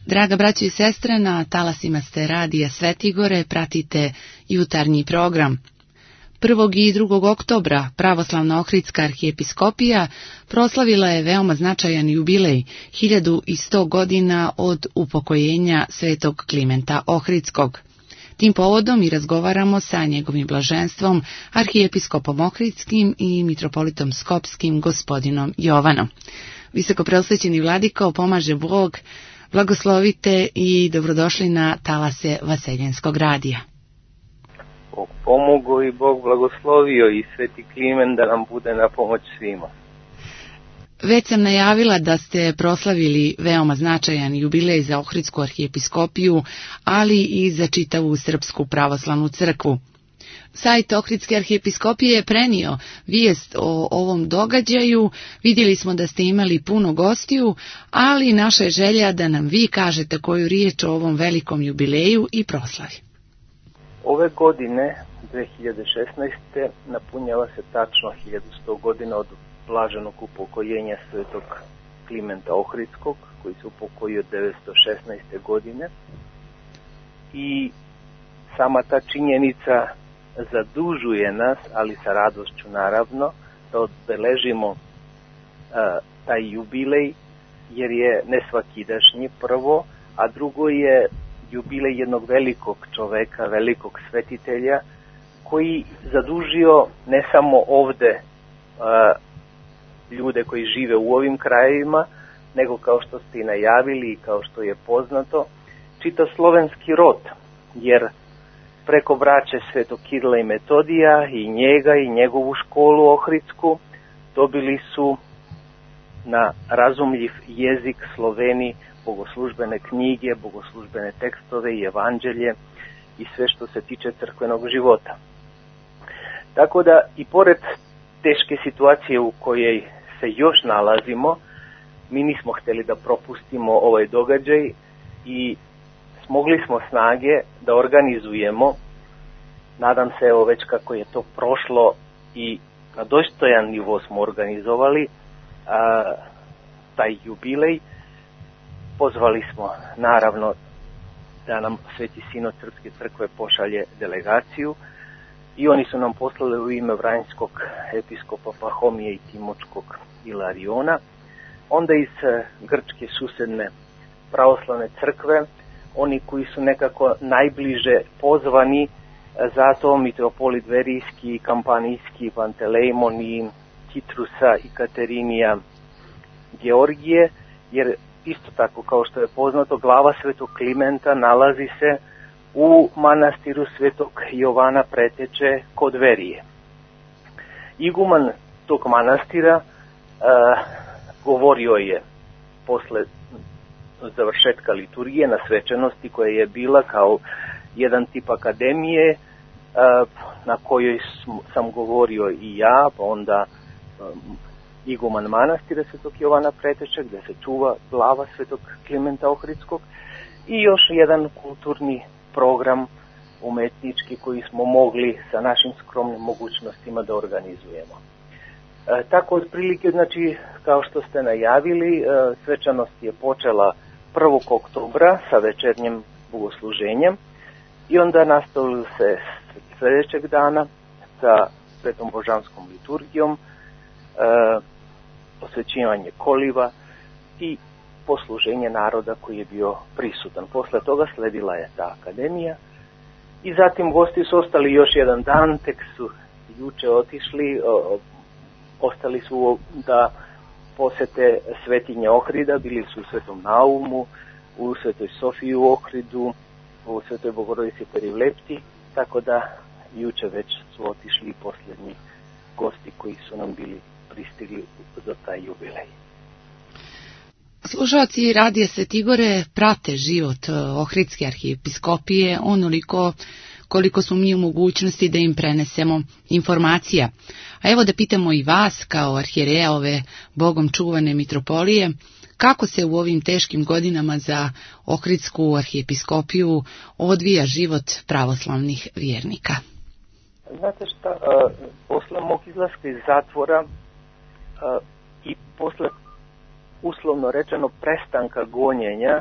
Draga braćo i sestre, na talasima ste Radija Svetigore, pratite jutarnji program. 1. i 2. oktobra Pravoslavna Ohridska arhijepiskopija proslavila je veoma značajan jubilej, 1100 godina od upokojenja svetog Klimenta Ohridskog. Tim povodom i razgovaramo sa njegovim blaženstvom, arhijepiskopom Ohridskim i mitropolitom Skopskim, gospodinom Jovanom. Visoko preosvećeni vladiko, pomaže Bog, blagoslovite i dobrodošli na talase Vaseljenskog radija. Bog pomogao i Bog blagoslovio i sveti Klimen da nam bude na pomoć svima. Već sam najavila da ste proslavili veoma značajan jubilej za Ohridsku arhijepiskopiju, ali i za čitavu Srpsku pravoslavnu crkvu. Sajt Ohridske arhijepiskopije je prenio vijest o ovom događaju, vidjeli smo da ste imali puno gostiju, ali naša je želja da nam vi kažete koju riječ o ovom velikom jubileju i proslavi. Ove godine, 2016. napunjava se tačno 1100 godina od blaženog upokojenja svetog Klimenta Ohridskog, koji se upokojio 916. godine. I sama ta činjenica zadužuje nas, ali sa radošću naravno, da obeležimo taj jubilej, jer je nesvakidašnji prvo, a drugo je jubilej jednog velikog čoveka, velikog svetitelja, koji zadužio ne samo ovde ljude koji žive u ovim krajevima, nego kao što ste i najavili i kao što je poznato, čitav slovenski rod, jer preko braće Svetog Kirila i Metodija i njega i njegovu školu Ohridsku dobili su na razumljiv jezik Sloveni bogoslužbene knjige, bogoslužbene tekstove i evanđelje i sve što se tiče crkvenog života. Tako da i pored teške situacije u kojoj se još nalazimo, mi nismo htjeli da propustimo ovaj događaj i smogli smo snage da organizujemo, nadam se evo već kako je to prošlo i na dostojan nivo smo organizovali taj jubilej. Pozvali smo naravno da nam Sveti Sinod Srpske crkve pošalje delegaciju i oni su nam poslali u ime Vranjskog episkopa Pahomije i Timočkog Ilariona, onda iz grčke susedne pravoslavne crkve, oni koji su nekako najbliže pozvani, zato mitropolit Verijski, Kampanijski, Pantelejmon i Kitrusa i Katerinija Georgije, jer isto tako kao što je poznato, glava svetog Klimenta nalazi se u manastiru svetog Jovana Preteče kod Verije. Iguman tog manastira govorio je posle završetka liturgije na svečanosti koja je bila kao jedan tip akademije na kojoj sam govorio i ja, pa onda iguman manastira svetog Jovana Preteče gdje se čuva glava svetog Klimenta Ohridskog i još jedan kulturni program umetnički koji smo mogli sa našim skromnim mogućnostima da organizujemo. Tako otprilike, znači, kao što ste najavili, svečanost je počela 1. oktobra sa večernjim bogosluženjem i onda nastavili se sljedećeg dana sa svetom božanskom liturgijom, posvećivanje koliva i posluženje naroda koji je bio prisutan. Posle toga sledila je ta akademija i zatim gosti su ostali još jedan dan, tek su juče otišli, ostali su da posete Svetinje Ohrida, bili su u Svetom Naumu, u Svetoj Sofiji u Ohridu, u Svetoj Bogorodici Perivlepti, tako da juče već su otišli posljednji gosti koji su nam bili pristigli za taj jubilej. Slušalci Radija Svetigore prate život Ohridske arhijepiskopije onoliko koliko smo mi u mogućnosti da im prenesemo informacija. A evo da pitamo i vas kao arhijereja ove Bogom čuvane mitropolije, kako se u ovim teškim godinama za Ohridsku arhijepiskopiju odvija život pravoslavnih vjernika? Znate šta, posle mog izlaska iz zatvora i posle uslovno rečeno prestanka gonjenja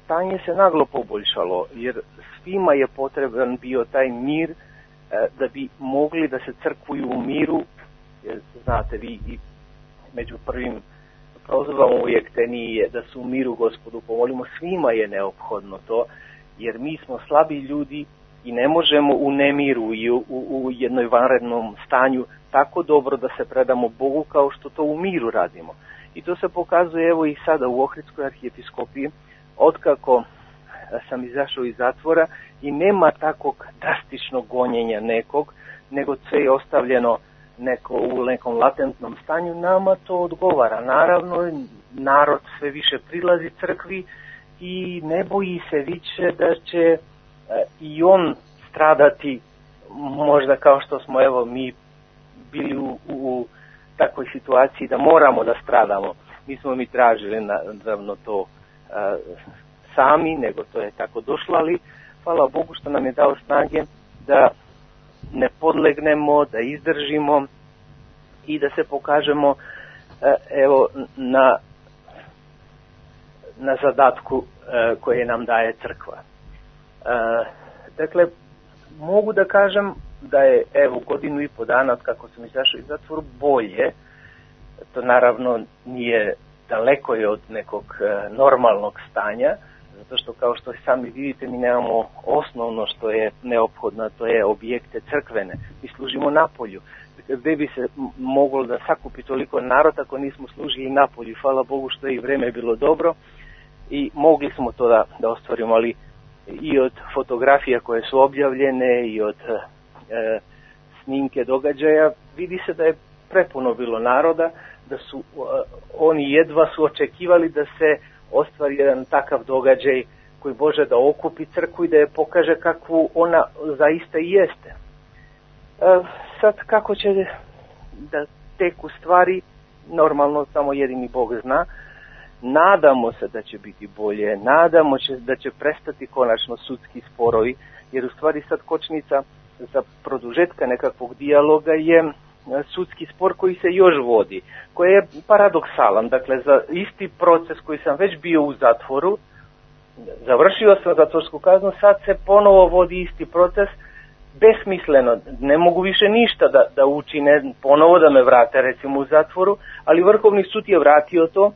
stanje se naglo poboljšalo, jer svima je potreban bio taj mir da bi mogli da se crkvuju u miru, jer znate vi i među prvim prozivamo uvijek te nije da su u miru Gospodu pomolimo, svima je neophodno to, jer mi smo slabi ljudi i ne možemo u nemiru i u jednoj vanrednom stanju tako dobro da se predamo Bogu kao što to u miru radimo. I to se pokazuje evo i sada u Ohridskoj arhijepiskopiji, otkako sam izašao iz zatvora i nema takvog drastičnog gonjenja nekog, nego sve je ostavljeno u nekom latentnom stanju, nama to odgovara. Naravno, narod sve više prilazi crkvi i ne boji se više da će i on stradati, možda kao što smo evo mi bili u takvoj situaciji da moramo da stradamo. Nismo mi tražili naravno to sami, nego to je tako došlo, ali hvala Bogu što nam je dao snage da ne podlegnemo, da izdržimo i da se pokažemo evo na zadatku koje nam daje crkva. Dakle, mogu da kažem da je evo godinu i po dana od kako sam izašao iz zatvora bolje. To naravno nije, daleko je od nekog normalnog stanja, zato što kao što sami vidite mi nemamo osnovno što je neophodno, to je objekte crkvene. Mi služimo napolju. Gde bi se moglo da sakupi toliko narod ako nismo služili napolju? Hvala Bogu što je i vreme bilo dobro i mogli smo to da ostvarimo, ali i od fotografija koje su objavljene i od snimke događaja vidi se da je prepuno bilo naroda, da su oni jedva su očekivali da se ostvari jedan takav događaj koji može da okupi crkvu i da je pokaže kakvu ona zaista i jeste. Sad kako će da teku stvari, normalno samo jedini Bog zna. Nadamo se da će biti bolje, nadamo se da će prestati konačno sudski sporovi, jer u stvari sad kočnica za produžetka nekakvog dijaloga je sudski spor koji se još vodi, koji je paradoksalan. Dakle, za isti proces koji sam već bio u zatvoru, završio sam zatvorsku kaznu, sad se ponovo vodi isti proces, besmisleno, ne mogu više ništa da učine, ponovo da me vrate recimo u zatvoru, ali Vrhovni sud je vratio to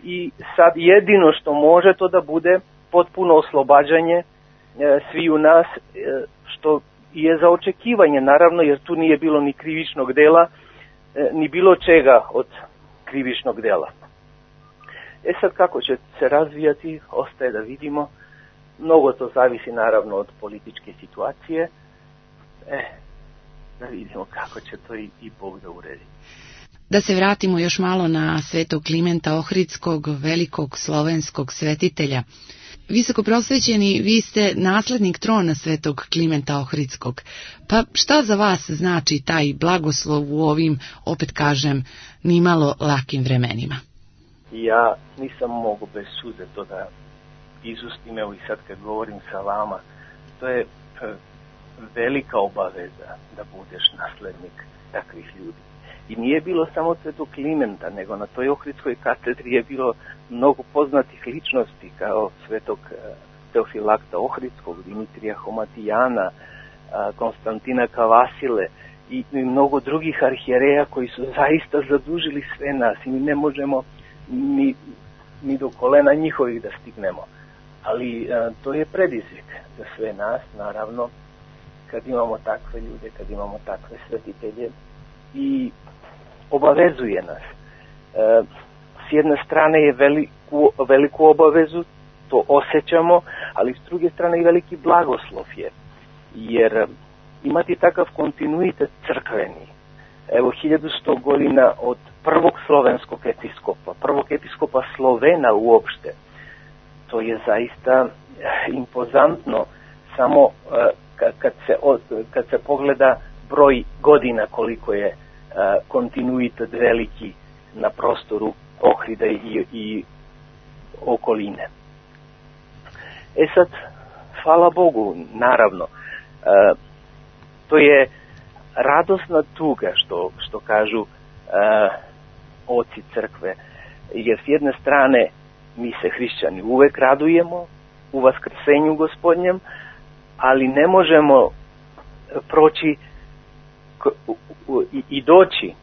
i sad jedino što može to da bude potpuno oslobađanje svi u nas, što je za očekivanje naravno, jer tu nije bilo ni krivičnog dela, ni bilo čega od krivičnog dela. Sad kako će se razvijati, ostaje da vidimo. Mnogo to zavisi naravno od političke situacije. Da vidimo kako će to i Bog da uredi. Da se vratimo još malo na svetog Klimenta Ohridskog, velikog slovenskog svetitelja. Visoko prosvećeni, vi ste naslednik trona svetog Klimenta Ohridskog. Pa šta za vas znači taj blagoslov u ovim, opet kažem, nimalo lakim vremenima? Ja nisam mogu bez suze to da izustim, evo i sad kad govorim sa vama, to je velika obaveza da budeš naslednik takvih ljudi. I nije bilo samo svetog Klimenta, nego na toj Ohridskoj katedri je bilo mnogo poznatih ličnosti, kao svetog Teofilakta Ohridskog, Dimitrija Homatijana, Konstantina Kavasile i mnogo drugih arhijereja koji su zaista zadužili sve nas i mi ne možemo ni do kolena njihovih da stignemo. Ali to je predizvik za sve nas, naravno, kad imamo takve ljude, kad imamo takve svetitelje i obavezuje nas. S jedne strane je veliku obavezu, to osjećamo, ali s druge strane i veliki blagoslov je. Jer imati takav kontinuitet crkveni, evo 1100 godina od prvog slovenskog episkopa, prvog episkopa Slovena uopšte, to je zaista impozantno, samo kad se pogleda broj godina koliko je kontinuitet veliki na prostoru Ohrida i okoline. Sad, hvala Bogu, naravno, to je radosna tuga što kažu oci crkve, jer s jedne strane mi se hrišćani uvek radujemo u vaskrsenju Gospodnjem, ali ne možemo proći i doći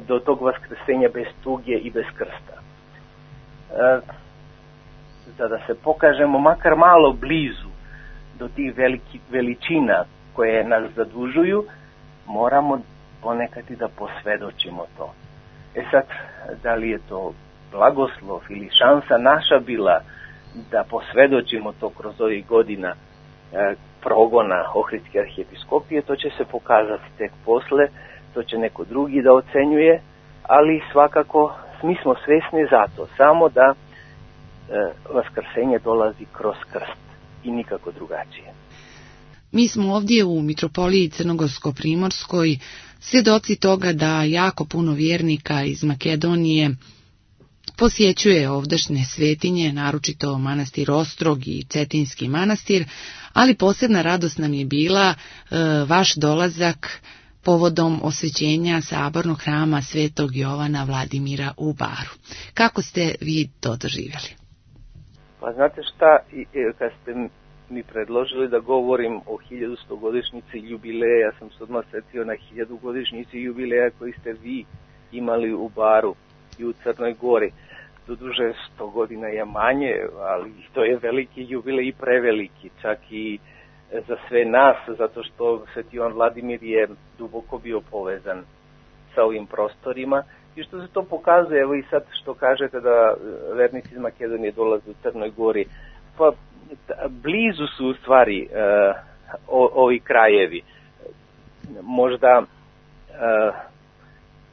do tog vaskrsenja bez tuge i bez krsta. Da se pokažemo makar malo blizu do tih veličina koje nas zadužuju, moramo ponekad i da posvedočimo to. Sad, da li je to blagoslov ili šansa naša bila da posvedočimo to kroz ovih godina progona Ohridske arhijepiskopije, to će se pokazati tek posle, to će neko drugi da ocenjuje, ali svakako mi smo svesni zato, samo da vaskrsenje dolazi kroz krst i nikako drugačije. Mi smo ovdje u Mitropoliji Crnogorsko-Primorskoj svjedoci toga da jako puno vjernika iz Makedonije posjećuje ovdašnje svetinje, naročito manastir Ostrog i Cetinski manastir, ali posebna radost nam je bila vaš dolazak povodom osvećenja sabornog hrama Svetog Jovana Vladimira u Baru. Kako ste vi to doživjeli? Pa znate šta, kad ste mi predložili da govorim o 1100-godišnjici jubileja, ja sam se odmah setio na 1000-godišnjici jubileja koji ste vi imali u Baru i u Crnoj Gori. Doduže 100 godina je manje, ali to je veliki jubilej i preveliki, čak i za sve nas, zato što Sveti Jovan Vladimir je duboko bio povezan sa ovim prostorima i što se to pokazuje, evo i sad što kažete da vernici iz Makedonije dolaze u Crnoj Gori, pa blizu su u stvari ovi krajevi. Možda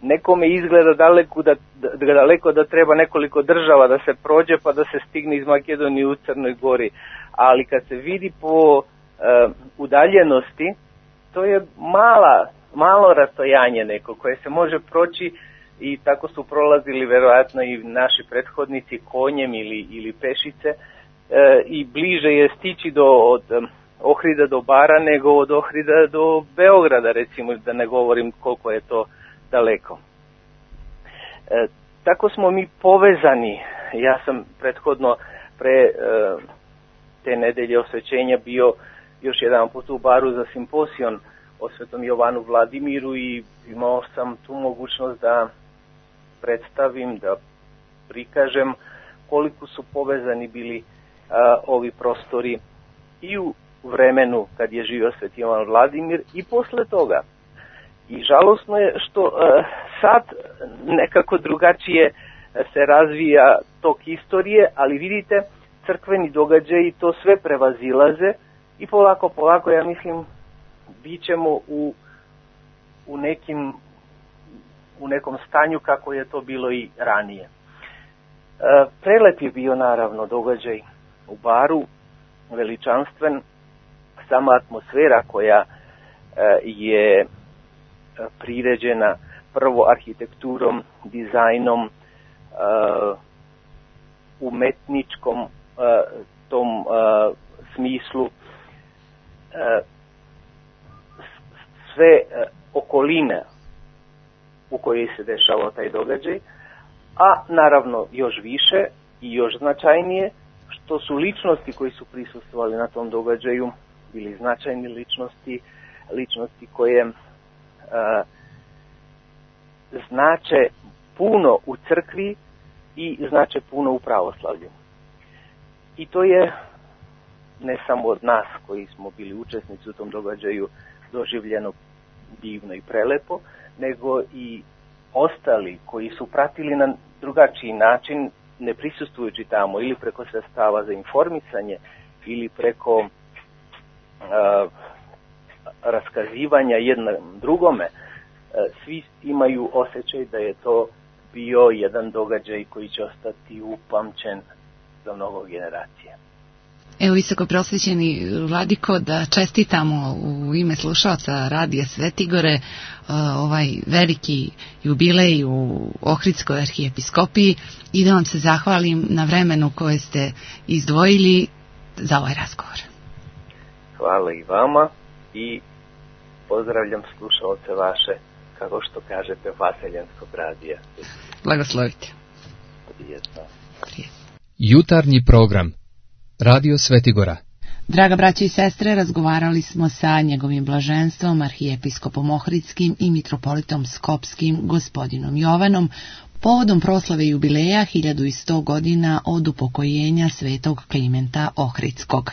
nekome izgleda daleko da treba nekoliko država da se prođe pa da se stigne iz Makedonije u Crnoj Gori, ali kad se vidi po udaljenosti, to je malo rastojanje neko koje se može proći i tako su prolazili verovatno i naši prethodnici konjem ili pešice, i bliže je stići od Ohrida do Bara nego od Ohrida do Beograda, recimo, da ne govorim koliko je to daleko. Tako smo mi povezani. Ja sam prethodno pre te nedelje osvećenja bio još jedan put u Baru za simposion o Svetom Jovanu Vladimiru i imao sam tu mogućnost da predstavim, da prikažem koliko su povezani bili ovi prostori i u vremenu kad je živio Sveti Jovan Vladimir i posle toga. I žalosno je što sad nekako drugačije se razvija tok istorije, ali vidite, crkveni događaji to sve prevazilaze i polako, ja mislim, bit ćemo u nekom stanju kako je to bilo i ranije. Prelep je bio naravno događaj u Baru, veličanstven, sama atmosfera koja je priređena prvo arhitekturom, dizajnom, umetničkom tom smislu, sve okoline u kojoj se dešavao taj događaj, a naravno još više i još značajnije što su ličnosti koji su prisustvovali na tom događaju bili značajni ličnosti koje znače puno u crkvi i znače puno u pravoslavlju. I to je ne samo od nas koji smo bili učesnici u tom događaju doživljeno divno i prelepo, nego i ostali koji su pratili na drugačiji način, ne prisustvujući tamo ili preko sredstava za informisanje ili preko raskazivanja jednom drugome, svi imaju osjećaj da je to bio jedan događaj koji će ostati upamćen za mnogo generacija. Evo, visoko prosvećeni vladiko, da čestitamo u ime slušalca Radija Svetigore ovaj veliki jubilej u Ohridskoj arhijepiskopiji i da vam se zahvalim na vremenu koje ste izdvojili za ovaj razgovor. Hvala i vama i pozdravljam slušalce vaše, kako što kažete, Vaseljenskog radija. Blagoslovite. Prijetno. Prijetno. Jutarnji program Radio Svetigora. Draga braće i sestre, razgovarali smo sa njegovim blaženstvom, arhijepiskopom Ohridskim i mitropolitom Skopskim, gospodinom Jovanom, povodom proslave jubileja 1100 godina od upokojenja svetog Klimenta Ohridskog.